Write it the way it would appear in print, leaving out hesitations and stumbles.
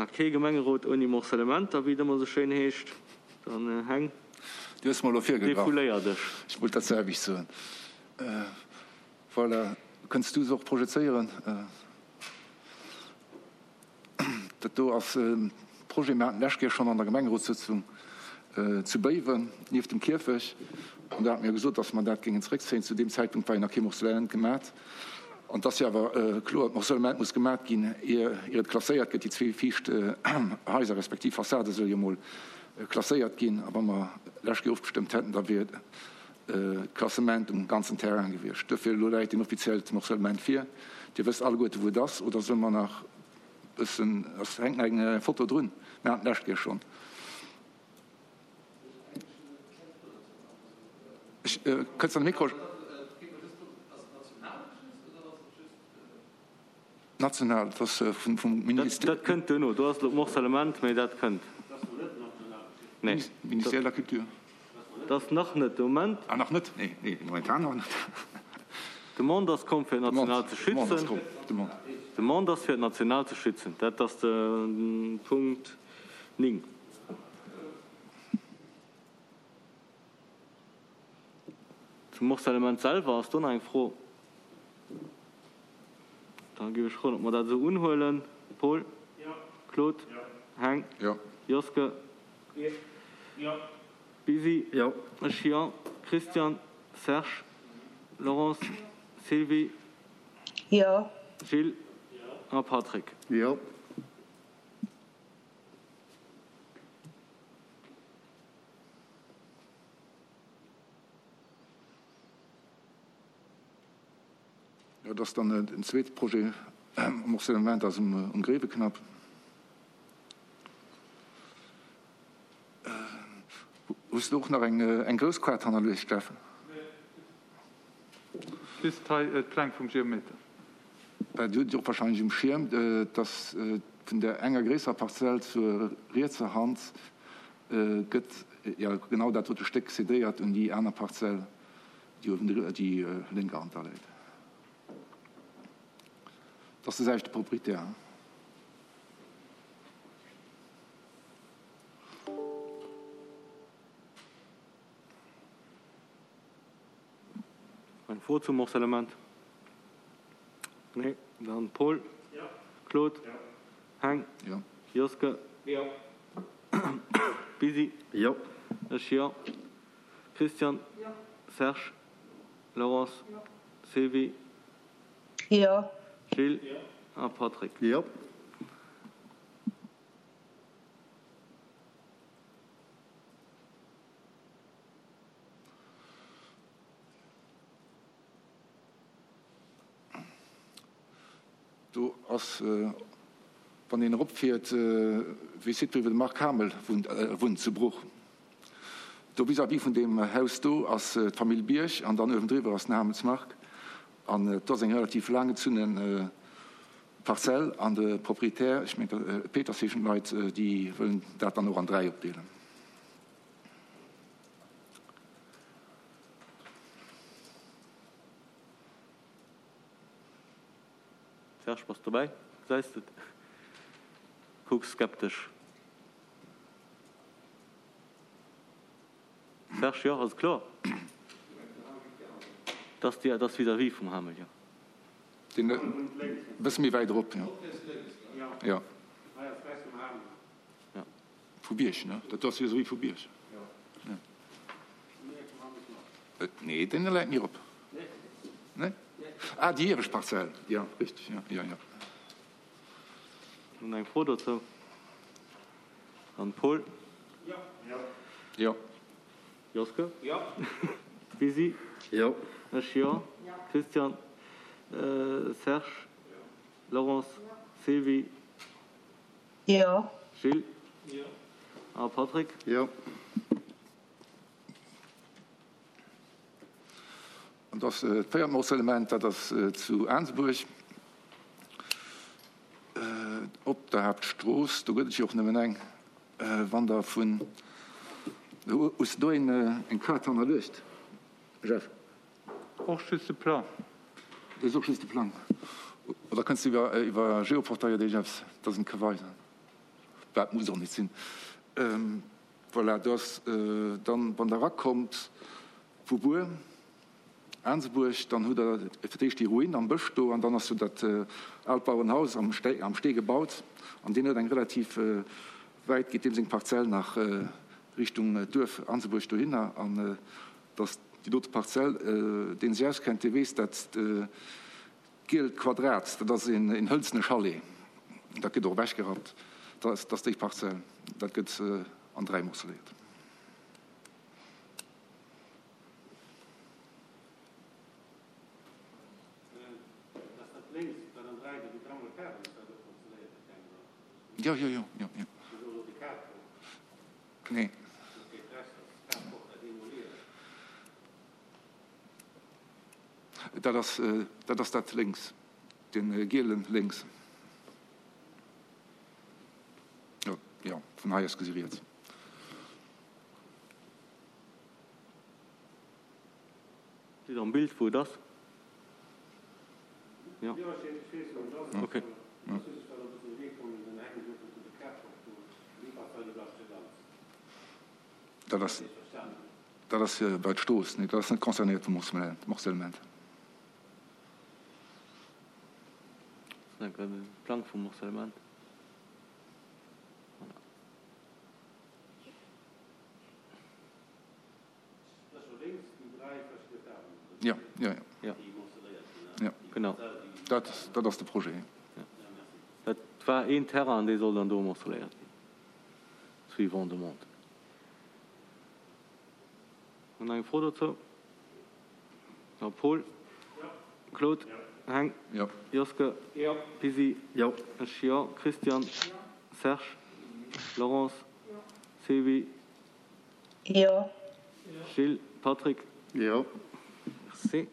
Voilà, kee Gemengerot ouni Morcellementer, wéi et ëmmer esou schéin heescht. Dann Heng, Du hues mer elo virgegraff. Defouléier dech. Ech wollt dat selwecht soen. Voilà, kënns du se och projezéieren? Dat do ass e Projet, mir haten d'lescht Kéier schonn an der Gemengerotssëtzung zu Béiwen, nieft dem Kierfech, an do hate mir jo gesot, dass mer dat géingen zeréckzéien. Zu deem Zäitpunkt war jo nach kee Morcellement gemat. An et ass jo awer kloer, d'Morcellement muss gemat ginn, ier et klasséiert gëtt. Déi zwee viischt Haiser respektiv Fassade solle jo mol klasséiert ginn. A wa mer d'lescht Kéier ofgestëmmt hätten, da wier d'Klassement um ganzen Terrain gewiescht. Duerfir, elo läit en offiziellt Morcellement vir. Dir wësst alleguerte wou et ass. Oder solle mer nach e bëssen, es hänkt nach eng Foto drun, mir haten d'lescht Kéier schonn. Ech, kënnst an de Mikro? National, dat ass vum Ministère. Dat kënnt duerno. Do ass elo d'Morcellement, mä dat kënnt. Nee. Ministère de la Culture. Dat ass nach net de Moment. Ah, nach net? Nee, nee, momentan nach net. D'Demande ass komm, fir et national ze schützen. D'Demande ass komm, d'Demande. D'Demande ass, fir et national ze schützen. Dat ass de Punkt 9. Zum Morcellement selwer, ass do nach eng Fro? Da géif ech froen, ob mer dat esou unhuelen. Paul? Claude? Heng? Joske? Bisi? Ech jo. Christian? Serge? Laurence? Sylvie? Gilles? A Patrick? Jo, dat ass dann en zweete Projet am Morcellement ass um Gréiweknapp. Hues de och nach eng grouss Kaart hannerluecht, Jeff? Just hei d'Pläng vum Geometer. Dir hutt et och wahrscheinlech um Schierm, dass vun där enger gréisserer Parzell zur rietser Hand gëtt jo genau dat dote Stéck cédéiert un déi aner Parzell, déi uewen déi lénker Hand da läit. Dat ass de selwechte Proprietär. Eng Fro zum Morcellement? Nee? Dann Paul? Claude? Heng? Joske? Bisi? Ech jo. Christian? Serge? Laurence? Sylvie? Gilles? A Patrick? Do ass, wann een eropfiert, wéi Site wou de Marc Hamel wunnt zu Bruch. Do vis-à-vis vun deem Haus do ass d'Famill Bierg an dann uewendriwwer ass den Hamels Marc. An do ass eng relativ laanggezunne Parzell an de Proprietär, ech mengen Peters heeschen d'Leit, déi wëllen dat dann och an 3 opdeelen. Serge, bass dobäi? Gesäis de et? Kucks skeptesch. Serge, Jo, ass kloer. Dat ass déi, dat ass vis-à-vis vum Hamel, jo. Deen e bësse méi wäit erop, jo. Jo. Vu Bierg, ne? Dat do ass vis-à-vis vu Bierg. Jo. Nee, deen läit méi erop. Nee? Ah, déi iewescht Parzell. Jo, richteg, jo, jo, jo. Nun eng Fro dozou an Paul? Jo. Joske? Jo. Bisi? Jo. Ech jo. Christian? Serge? Laurence? Sylvie? Jo. Gilles? Jo. A Patrick? Jo. An dat véiert Morcellement, dat ass zu Aansebuerg op der Haaptstrooss. Do gëtt et jo och nëmmen eng. Wann Der vun, hues de do eng Kaart hannerluecht, Jeff? Och just de Plang. Do ass och just de Plang. Oder kënns de iwwer Geoportail dee Jeffs, dass en ka weisen? Wat muss och net sinn. Voilà, do ass dann, wann Der erakommt vu Bur, Aansebuerg, dann hutt Der fir d'éischt déi Ruin am Bësch do an dann ass do dat aalt Bauerenhaus am Stee gebaut an deen huet eng relativ wäit, geet deem seng Parzell nach Richtung Duerf Aansebuerg dohinner an dass déi dote Parzell, deen sech auskennt, dee weess, dat gielt Quadrat, dat ass een hëlzene Chalet, dat gëtt och ewechgerappt, dat ass déi Parzell, dat gëtt an 3 morceléiert. Jo, jo, jo, jo, jo. Nee. Dat ass, dat ass dat lénks, dee gielen lénks. Jo, jo, vun hei aus gesi riets. Sidd am Bild wou et ass? Jo. Ok. Dat ass, dat ass bei d'Strooss, nee, dat ass net concernéiert vum Morcellement. Plang vum Morcellement. Voilà. Jo, jo, jo. Jo, genau. Dat, dat ass de Projet. Jo. Dat war een Terrain an dee soll dann do morceléiert ginn, suivant demande. Hunn nach eng Fro dozou? Jo, Paul? Claude? Heng? Jo. Joske? Jo. Pisi? Jo. Ech jo. Christian? Serge? Laurence? Sevi? Jo. Gilles, Patrick? Jo. Merci.